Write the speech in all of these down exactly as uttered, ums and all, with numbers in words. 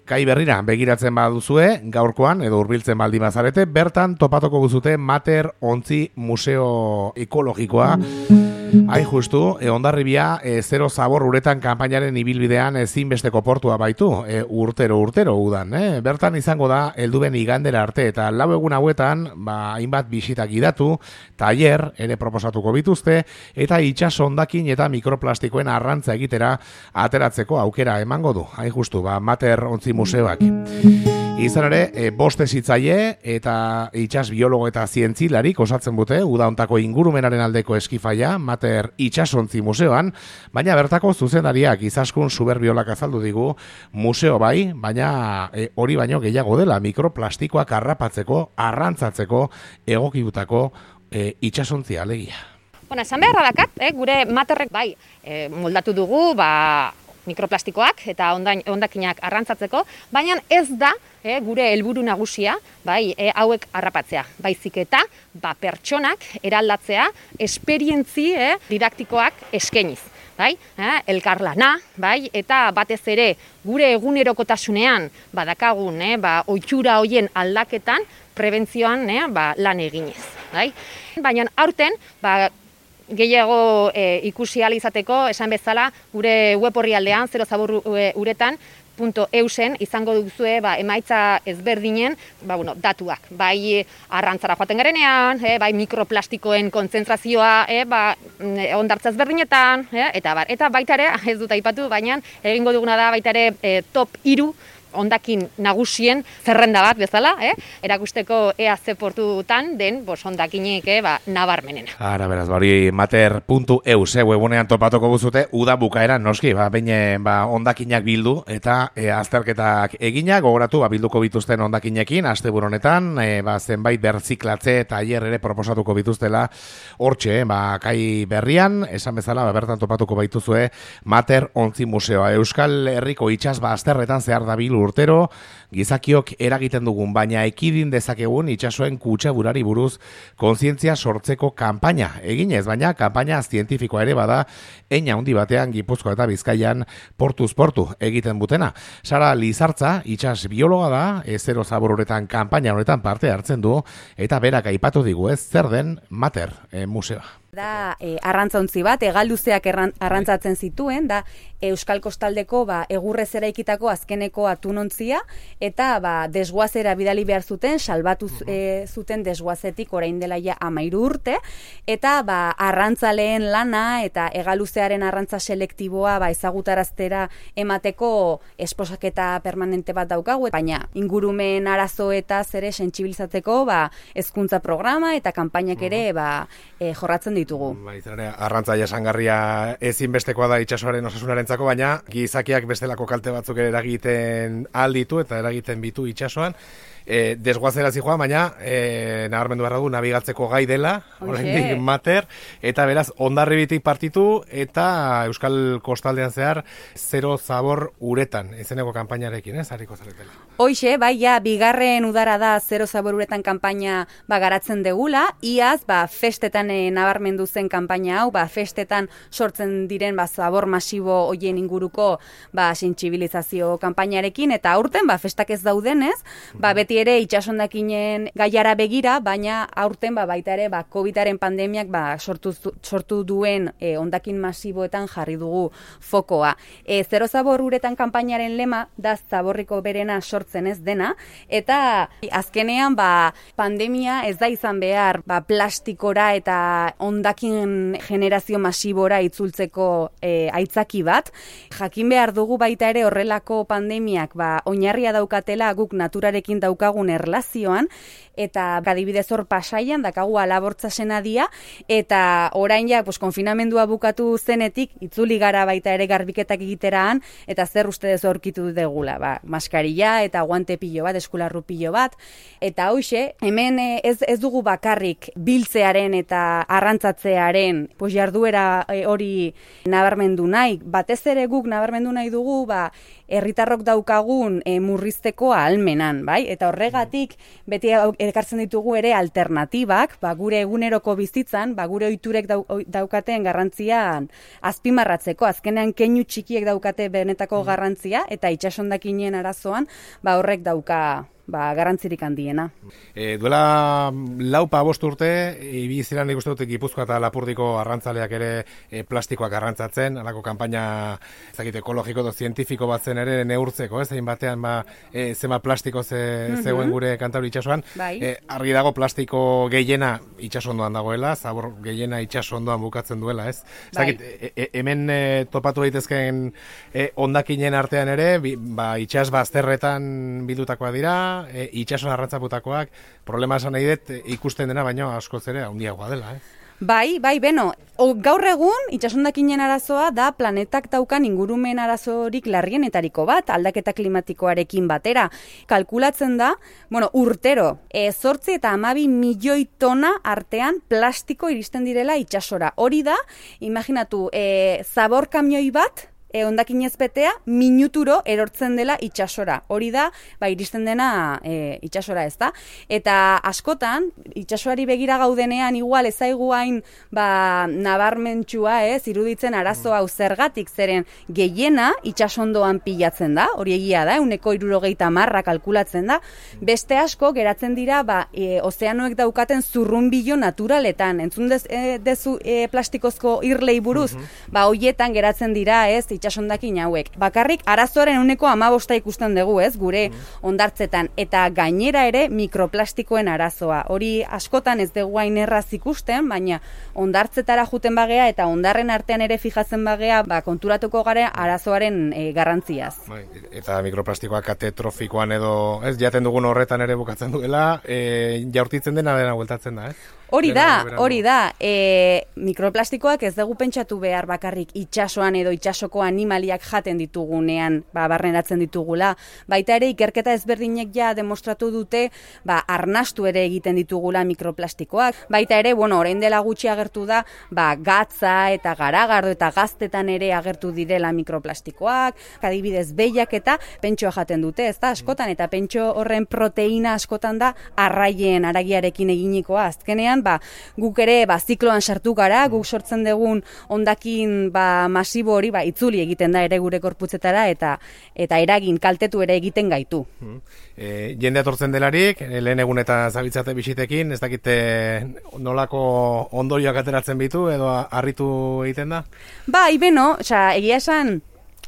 Kai berrira begiratzen baduzue, gaurkoan edo hurbiltzen baldin bazarete, bertan topatuko guzute Mater Ontzi Museo Ekologikoa. Hain justu, e, Hondarribia e, zero zabor uretan kanpainaren ibilbidean ezinbesteko portua baitu, e, urtero urtero udan. E? Bertan izango da helduben igandera arte eta lau egun hauetan, ba, hainbat bisitak gidatu, tailer ere proposatuko bituzte, eta itsas hondakin eta mikroplastikoen arrantza egitera ateratzeko aukera emango du. Hain justu, ba, Mater Ontzi Museoak. Izan ere, e, bost hezitzaile eta itsas biologo eta zientzilarik osatzen dute uda hontako ingurumenaren aldeko eskifaia Mater Itsasontzi Museoan, baina bertako zuzendariak Izaskun Suberbiolak azaldu digu museo bai, baina e, hori baino gehiago dela mikroplastikoak harrapatzeko, arrantzatzeko egokitutako e, itsasontzia alegia. Bueno, esan beharra dakat, eh, gure Materrek bai, eh, moldatu dugu, ba, mikroplastikoak eta hondakinak arrantzatzeko, baina ez da eh, gure helburu nagusia, bai, eh, hauek harrapatzea. Baizik eta ba, pertsonak eraldatzea esperientzi eh, didaktikoak eskainiz. Bai, eh, elkarlana, bai, eta batez ere gure egunerokotasunean badakagun, eh, ba, ohitura hoien aldaketan prebentzioan eh, ba, lan eginez. Bai. Baina aurten, ba, gehiago e, ikusi ahal izateko, esan bezala, gure web orrialdean, zero zabor uretan, punto eusen izango duzue ba, emaitza ezberdinen ba, bueno, datuak. Bai arrantzara joaten garenean, eh, bai mikroplastikoen kontzentrazioa eh, ba, ondartza ezberdinetan, eh, eta, bar, eta baita ere, ez dut aipatu, baina egingo duguna da baita ere eh, top hiru hondakin nagusien zerrenda bat bezala, eh? erakusteko ea ze portutan den bos hondakinik eh, ba, nabarmenena. Ara, beraz, hori mater puntu eus, eh, webunean topatuko guzute, uda bukaeran noski, ba, baina ba, hondakinak bildu eta e, azterketak egina, gogoratu, ba, bilduko bituzten hondakinekin, asteburu honetan, e, ba, zenbait berziklatze eta aier ere proposatuko bituztela, hortxe, eh, ba, kai berrian, esan bezala, ba, bertan topatuko baituzue, Mater Ontzi Museoa. Euskal Herriko itsas bazterretan zehar dabil urtero, gizakiok eragiten dugun, baina ekidin dezakegun itsasoen kutsaburari buruz kontzientzia sortzeko kanpaina eginez, baina kanpaina zientifikoa ere bada, eina handi batean Gipuzkoa eta Bizkaian portuz portu egiten butena. Sara Lizartza, itsas biologa da, zero zabor uretan kanpaina honetan parte hartzen du, eta berak aipatu digu ez zer den Mater e, museoa. Da e, arrantzontzi bat, egalduzeak arrantzatzen zituen, da Euskal Kostaldeko ba, egurrez eraikitako azkeneko atunontzia, eta ba, desguazera bidali behar zuten, salbatu e, zuten desguazetik orain dela ja amairu urte, eta ba, arrantzaleen lana eta egaluzearen arrantza selektiboa ba, ezagutaraztera emateko esposaketa permanente bat daukagu, baina ingurumen arazoetaz ere sentsibilizatzeko ba, hezkuntza programa eta kanpainak ere ba, e, jorratzen ditu. Ba, arrantza jasangarria ezinbestekoa da itsasoaren osasunarentzako, baina gizakiak bestelako kalte batzuk ere eragiten alditu eta eragiten bitu itsasoan. E, desguazera zijoa, baina e, nabarmendu behar du nabigatzeko gai dela, oraindik Mater, eta beraz Hondarribitik partitu eta Euskal Kostaldean zehar zero zabor uretan, izeneko kanpainarekin, ez, hariko zaretela. Hoixe, bai, ja, bigarren udara da zero zabor uretan kanpaina ba, garatzen degula, iaz, ba, festetan e, nabarmendu zen kanpaina hau, ba, festetan sortzen diren ba, zabor masibo hoien inguruko ba, sentsibilizazio kanpainarekin, eta aurten, ba, festak ez daudenez, ba, beti ere itsasondakinen gaiara begira, baina aurten ba, baita ere ba, covidaren pandemiak ba, sortu, sortu duen e, hondakin masiboetan jarri dugu fokoa. E, zero zabor uretan kanpainaren lema da zaborriko berena sortzen ez dena, eta azkenean ba, pandemia ez da izan behar ba, plastikora eta hondakin generazio masibora itzultzeko e, aitzaki bat. Jakin behar dugu baita ere horrelako pandemiak ba, oinarria daukatela guk naturarekin daukagun erlazioan, eta adibidez hor Pasaian dakagu Alabortza senadia, eta orain ja pues, konfinamendua bukatu zenetik itzuli gara baita ere garbiketak egiteraan, eta zer ustez aurkitu degula, ba, maskarilla eta guante pilo bat, eskularru pilo bat, eta hoxe, hemen ez, ez dugu bakarrik biltzearen eta arrantza arrantzatzearen pues, jarduera e, hori nabarmendu nahi. Batez ere guk nabarmendu nahi dugu, ba, herritarrok daukagun e, murrizteko ahalmenan, bai? Eta horregatik beti ekartzen ditugu ere alternatibak, ba, gure eguneroko bizitzan, ba, gure ohiturek dau, daukaten garrantzian azpimarratzeko, azkenean keinu txikiek daukate benetako garrantzia, eta itsasondakinen arazoan, ba, horrek dauka ba, garrantzirik handiena. E, duela laupa bost urte, ibiziran nik uste dut Gipuzkoa eta Lapurdiko arrantzaleak ere e, plastikoak arrantzatzen, alako kanpaina ezagite ekologiko edo zientifiko bat zen ere neurtzeko, ez? Egin batean ba, e, zema plastiko ze, mm-hmm. zegoen gure Kantauri itsasoan. Bai. E, argi dago plastiko gehiena itsasondoan dagoela, zabor gehiena itsasondoan bukatzen duela, ez? Bai. Ezagit, e, e, hemen e, topatu daitezkeen e, hondakinen artean ere, bi, ba, itsas bazterretan bildutakoa dira, E, itxason arrantzaputakoak, problema esan nahi dut ikusten dena, baino askoz ere handiagoa dela, eh? Bai, bai, beno, o, gaur egun itsasondakinen arazoa da planetak daukan ingurumen arazorik larrienetariko bat, aldaketa klimatikoarekin batera. Kalkulatzen da, bueno, urtero, e, zortzi eta hamabi milioi tona artean plastiko iristen direla itsasora. Hori da, imaginatu, e, zabor kamioi bat, E, hondakinez betea, minuturo erortzen dela itsasora. Hori da, ba, iristen dena e, itsasora, ez da? Eta askotan, itsasoari begira gaudenean, igual ezaigu hain ba, nabarmentsua, ez, iruditzen arazo hau zergatik, zeren gehiena itsasondoan pilatzen da, hori egia da, uneko hirurogeita marra kalkulatzen da, beste asko geratzen dira, ba, e, ozeanoek daukaten zurrunbilo naturaletan, entzun dez, e, dezu e, plastikozko irlei buruz, mm-hmm. ba, hoietan geratzen dira, ez, itsasondakin hauek. Bakarrik arazoaren uneko hamabosta ikusten dugu, ez, gure hondartzetan, eta gainera ere mikroplastikoen arazoa. Hori askotan ez dugu hain erraz ikusten, baina hondartzetara juten bagea eta hondarren artean ere fijatzen bagea, ba, konturatuko gare arazoaren e, garrantziaz. Bai, eta mikroplastikoa kate trofikoan edo, ez, jaten dugun horretan ere bukatzen duela, e, jaurtitzen dena dena bueltatzen da, ez? Hori da, hori da, e, mikroplastikoak ez dugu pentsatu behar bakarrik itsasoan edo itsasoko animaliak jaten ditugunean, ba, barneratzen ditugula. Baita ere, ikerketa ezberdinek ja demostratu dute, ba, arnastu ere egiten ditugula mikroplastikoak. Baita ere, bueno, orain dela gutxi agertu da, ba, gatza eta garagardo eta gaztetan ere agertu direla mikroplastikoak, adibidez behiak eta pentsoa jaten dute, ez da, askotan, eta pentso horren proteina askotan da arraien aragiarekin eginikoa, azkenean, ba, guk ere ba, zikloan sartu gara, guk sortzen dugun hondakin ba, masibo hori ba, itzuli egiten da ere gure korputzetara eta eta eragin kaltetu ere egiten gaitu. Hmm. E, jende atortzen delarik, lehen egun eta zabitzate bisitekin, ez dakite nolako ondorioak ateratzen bitu edo harritu egiten da? Ba, ibeno, oza, egia esan,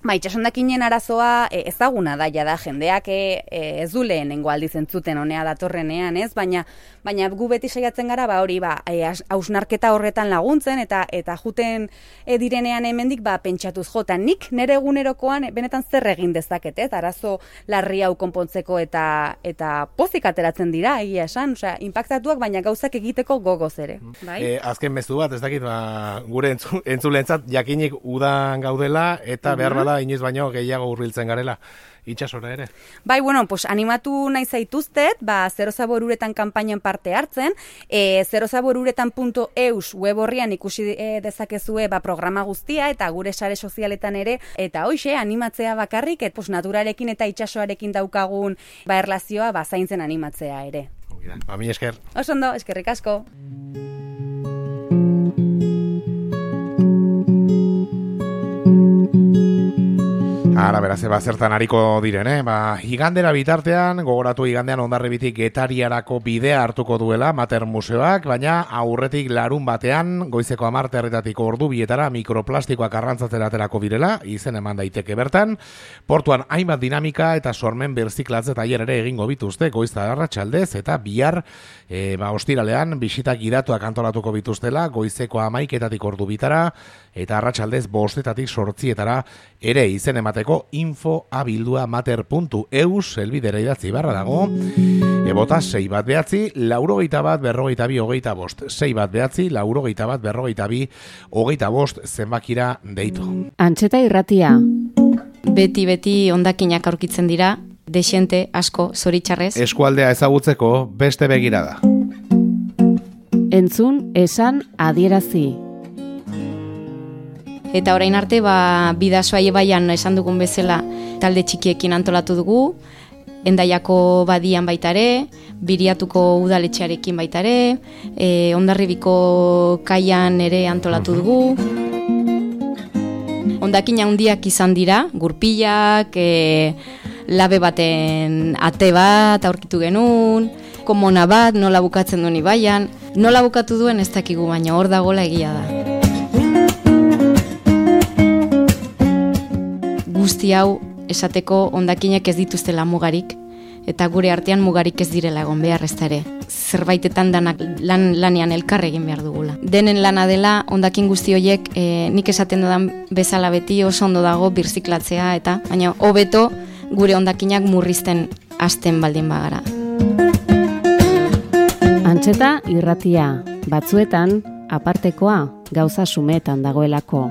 ba, itsasondakinen arazoa e, ezaguna da, jada jendeak e, ez du lehenengo aldiz entzuten honea datorrenean, ez? Baina, baina gu beti saiatzen gara, ba, hori, ba, e, hausnarketa horretan laguntzen, eta eta juten e, direnean hemendik, ba, pentsatuz jota, nik nire egunerokoan benetan zer egin dezaket, ez? Arazo larri hau konpontzeko eta eta pozik ateratzen dira, egia esan, osea, inpaktatuak, baina gauzak egiteko gogoz ere. Bai? E, azken mezu bat, ez dakit, ba, gure entzu, entzulentzat jakinik udan gaudela, eta behar bada inoiz baino gehiago hurbiltzen garela itsasora ere. Bai, bueno, pues animatu nahi zaituztet, ba, Zero Zabor Uretan kanpainan parte hartzen, e, zero zabor uretan puntu eus web horrian ikusi e, dezakezue ba, programa guztia, eta gure sare sozialetan ere, eta hoxe, animatzea bakarrik, et, pues, naturarekin eta itsasoarekin daukagun ba, erlazioa ba, zaintzen animatzea ere. Ba, mi esker. Osondo, eskerrik asko. Ara, beraz, eba zertan hariko diren, eh? Ba, igandera bitartean, gogoratu igandean Hondarribitik Getariarako bidea hartuko duela Mater Museoak, baina aurretik larun batean, goizeko hamar herritatik ordu bietara mikroplastikoak arrantzatzera aterako direla, izen eman daiteke bertan, portuan hainbat dinamika eta sormen birziklatze tailer ere egingo bituzte, goizta arratsaldez eta bihar, e, ba, ostiralean, bisitak gidatuak antolatuko bituztela, goizeko hamaiketatik ordu bitara, eta arratsaldez bostetatik sortzietara ere izen emateko info abildua mater puntu eus elbidera idatzi barra dago, ebota sei bat behatzi, laurogeita bat berrogeita bi hogeita bost, sei bat behatzi, laurogeita bat berrogeita bi hogeita bost zenbakira deitu. Antxeta irratia, beti-beti hondakinak aurkitzen dira, desente asko zoritxarrez. Eskualdea ezagutzeko beste begirada. Entzun, esan, adierazi. Eta orain arte, ba, Bidasoa ibaian esan dugun bezala talde txikiekin antolatu dugu, Hendaiako badian baitare, Biriatuko udaletxearekin baitare, e, Hondarribiko kaian ere antolatu dugu. Hondakin handiak izan dira, gurpilak, e, labe baten ate bat aurkitu genuen, komona bat, nola bukatzen duen ibaian, nola bukatu duen ez dakigu, baina hor dagoela egia da. Guzti hau esateko hondakinak ez dituztela mugarik, eta gure artean mugarik ez direla egon behar ez ere. Zerbaitetan danak lan, lanean elkar egin behar dugula. Denen lana dela hondakin guzti horiek e, nik esaten dudan bezala beti oso ondo dago birziklatzea, eta baina hobeto gure hondakinak murrizten hasten baldin bagara. Antxeta irratia, batzuetan apartekoa gauza sumetan dagoelako.